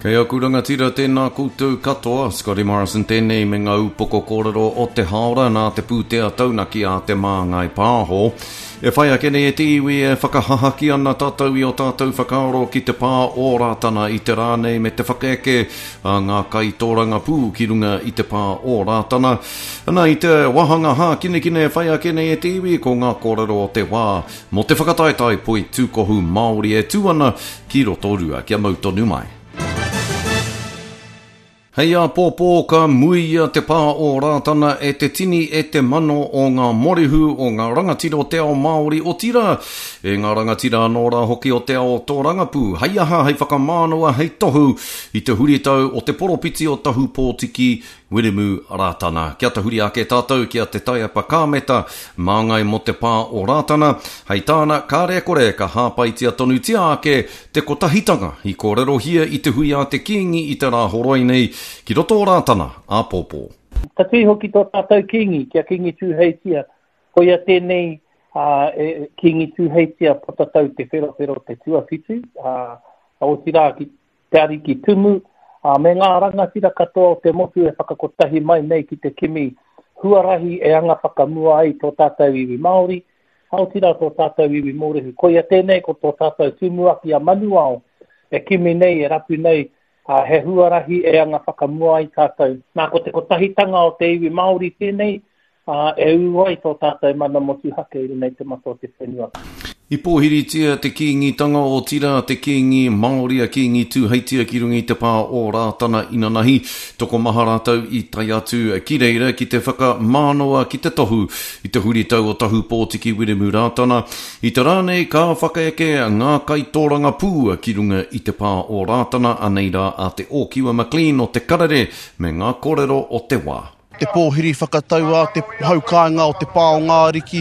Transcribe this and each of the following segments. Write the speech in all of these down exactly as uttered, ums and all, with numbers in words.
Kei aku rangatira tēnā koutou katoa, Scotty Morrison tēnei me ngā upoko kōrero o te haora nā te pūtea taunaki a te Māngai Pāho. E whai ake nei e te iwi e whakahahaki ana tātou i o tātou whakaaro ki te pā o Rātana i te rā nei me te whakaeke a ngā kaitōrangapū ki runga i te pā o Rātana. Ana i te wāhanga hākinakina e whai ake nei e te iwi ko ngā kōrero o te wā mō te whakataetae poitūkohu Māori e tū ana ki Rotorua. Kia mau tonu mai. Hei āpōpō ka muia te pā o Rātana e te tini e te mano o ngā morehu o ngā rangatira o te ao Māori otirā e ngā rangatira anō rā hoki o te ao tōrangapū. Hei aha, hei whakamānawa, hei tohu i te huritau o te poropiti o Tahupōtiki Wiremu Rātana. Kia tahuri ake tātou ki a Te Taiapa Kāmeta, māngai mō te pā o Rātana. Hei tāna, kāre kore ka hāpaitia tonutia ake te kotahitanga i kōrerohia i te hui a te Kīngi i te rā horoi nei ki roto o Rātana āpōpō. Ka tui hoki tō tātou Kīngi, kia Kīngi Tūheitia. Koia tēnei uh, e, Kīngi Tūheitia Potatau Te Wherowhero Te Tuawhitu, uh, otirā ki te Ariki Tumu, uh, me ngā rangatira katoa o te motu e whakakotahi mai nei ki te kimi huarahi e anga whakamua ai tō tātou iwi Māori, otirā tō tātou iwi Mōrehu. Koia tēnei ko tō tātou tumuaki a Manuao e kimi nei, e rapu nei, uh, he huarahi e anga whakamua ai tātou. Nā, ko te kotahitanga o te iwi Māori tēnei, uh, e ū ai tō tātou mana motuhake i runga i te mata o te whenua. I pōhiritia te Kīngitanga otirā te Kīngi Māori a Kīngi Tūheitia ki runga i te pā o Rātana inanahi. Tokomaha rātou i tae atu ki reira ki te whakamānawa ki te tohu i te huritau o Tahupōtiki Wiremu Rātana. I te rā nei ka whakaeke ngā kaitōrangapū ki runga i te pā o Rātana, anei rā a Te Ōkiwa McLean o Te Karere me ngā kōrero o te wā. Te pōhiri whakatau a te haukāinga o te pā o ngā ariki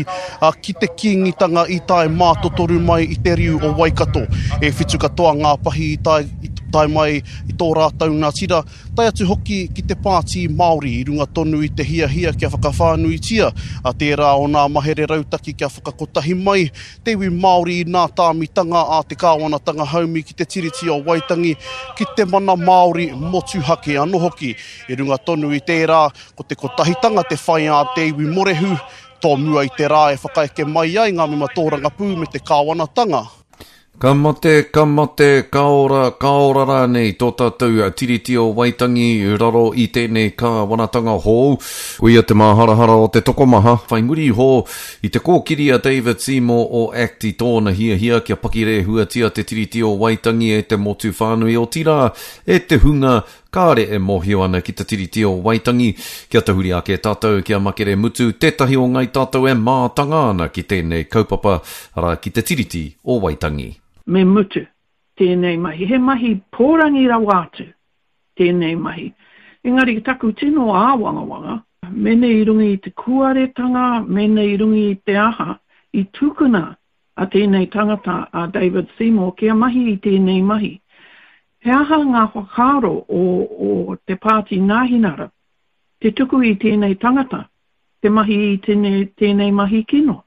ki te Kīngitanga i tae mātotoru mai i te riu o Waikato. E whitu katoa ngā pahi i tae, i tae mai i tō rātou nā tira, tae atu hoki ki te Pāti Māori i runga tonu i te hiahia kia whakawhānuitia a tērā o nā mahere rautaki kia whakakotahi mai te iwi Māori i nā tāmitanga a te kāwanatanga haumi ki te Tiriti o Waitangi ki te mana Māori motuhake anō hoki. I runga tonu i tērā, ko te kotahitanga te whai a te iwi Morehu, tō mua i te rā e whakaeke mai ai ngā mema tōrangapū me te kāwanatanga. Ka mate, ka mate, ka ora, ka ora rānei tō tātou Tiriti o Waitangi raro i tēnei kāwanatanga hou. Koia te māharahara o te tokomaha, whai muri iho i te kōkiri a David Seymour o ACT i tōna hiahia kia pakirehuatia te Tiriti o Waitangi e te motu whānui otirā e te hunga kāre e mōhio ana ki te Tiriti o Waitangi. Kia tahuri ake tātou kia makere mutu tētahi o ngai tātou e mātanga ana ki tēnei kaupapa, arā ki te Tiriti o Waitangi. Me mutu tēnei mahi. He mahi pōrangi rawa atu tēnei mahi. Engari taku tino āwangawanga, mene i runga i te kuaretanga, mene i runga i te aha, i tukuna a tēnei tangata a David Seymour kia mahi i tēnei mahi. He aha ngā whakaaro o, o te Pāti Nāhinara, te tuku i tēnei tangata, te mahi i tēnei, tēnei mahi kino.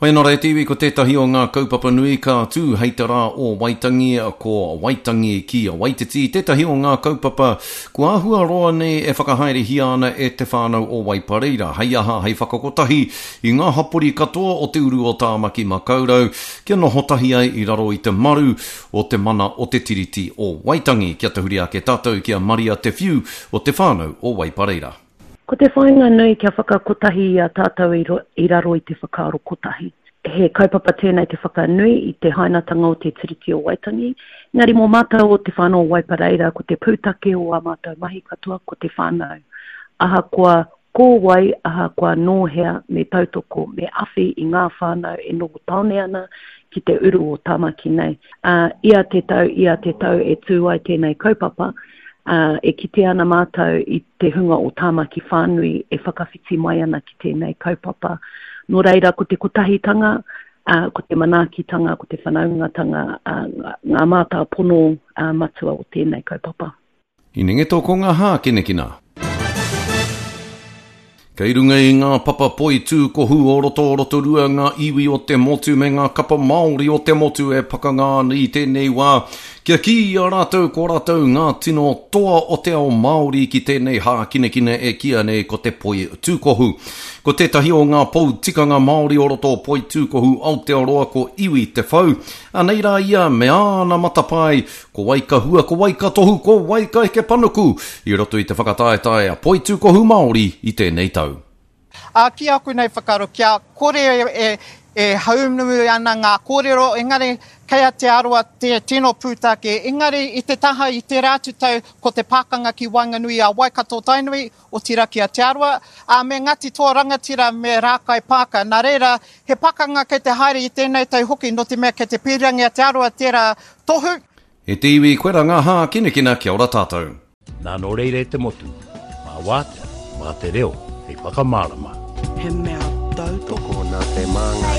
Hoi anō rā e te iwi, ko tētahi o ngā kaupapa nui ka tū hei te rā o Waitangi, ko Waitangi ki Waititi, tētahi o ngā kaupapa kua āhua roa nei e whakahaerehia ana e te whānau o Waipareira. Hei aha, hei whakakotahi i ngā hapori katoa o te uru o Tāmaki Makaurau, kia noho tahi ai i raro i te maru o te mana o te Tiriti o Waitangi. Kia tahuri ake tātou ki a Maria Te Whiu o te whānau o Waipareira. Ko te whāinga nui kia whakakotahi i a tātou i, ro, i raro i te whakaaro kotahi. He kaupapa tēnei te whakanui i te hainatanga o te Tiriti o Waitangi. Engari mō mātou o te whānau o Waipareira, ko te pūtake o ā mātou mahi katoa, ko te whānau. Ahakoa ko wai, ahakoa nō hea, me tautoko, me awhi i ngā whānau e noho tāone ana ki te uru o Tāmaki nei. Uh, ia te tau, ia te tau e tū ai tēnei kaupapa, Uh, e kite ana mātou i te hunga o Tāmaki whānui e whakawhiti mai ana ki tēnei kaupapa. Nō reira, ko te kotahitanga, uh, ko te manaakitanga, ko te whanaungatanga, uh, ngā mātāpono uh, matua o tēnei kaupapa. Inengeto ko ngā hākinakina. Kei runga i ngā papa poitūkohu o roto o Rotorua ngā iwi o te motu me ngā kapa Māori o te motu e pakanga ana i tēnei wā Kia kī i a rātou ko rātou ngā tino toa o te ao Māori ki tēnei hākinakina e kīia nei ko te poi tūkohu. Ko tētahi o ngā pou tikanga Māori o roto o Poitūkohu Aotearoa ko Iwi Te Whau. Anei rā ia me āna matapae, ko wai ka hua, ko wai ka tohu, ko wai ka heke panuku i roto i te whakataetae a Poitūkohu Māori i tēnei tau. Ā, ki aku nei whakaaro, kia kore e, e haunumu ana ngā kōrero, engari kei a Te Arawa te tino pūtake, engari i te taha i tērā atu tau ko te pakanga ki waenganui a Waikato Tainui, otirā ki a Te Arawa, ā, me Ngāti Toa Rangatira me Rākai Pāka. Nā reira, he pakanga kei te haere i tēnei tau hoki, nō te mea kei te pīrangi a Te Arawa tērā tohu. E te iwi, koe rā ngā hākinakina, kia ora tātou. Nā nō reira e te motu, mā wātea, mā te reo hei whakamārama. He mea tautoko. Tokona te māngai.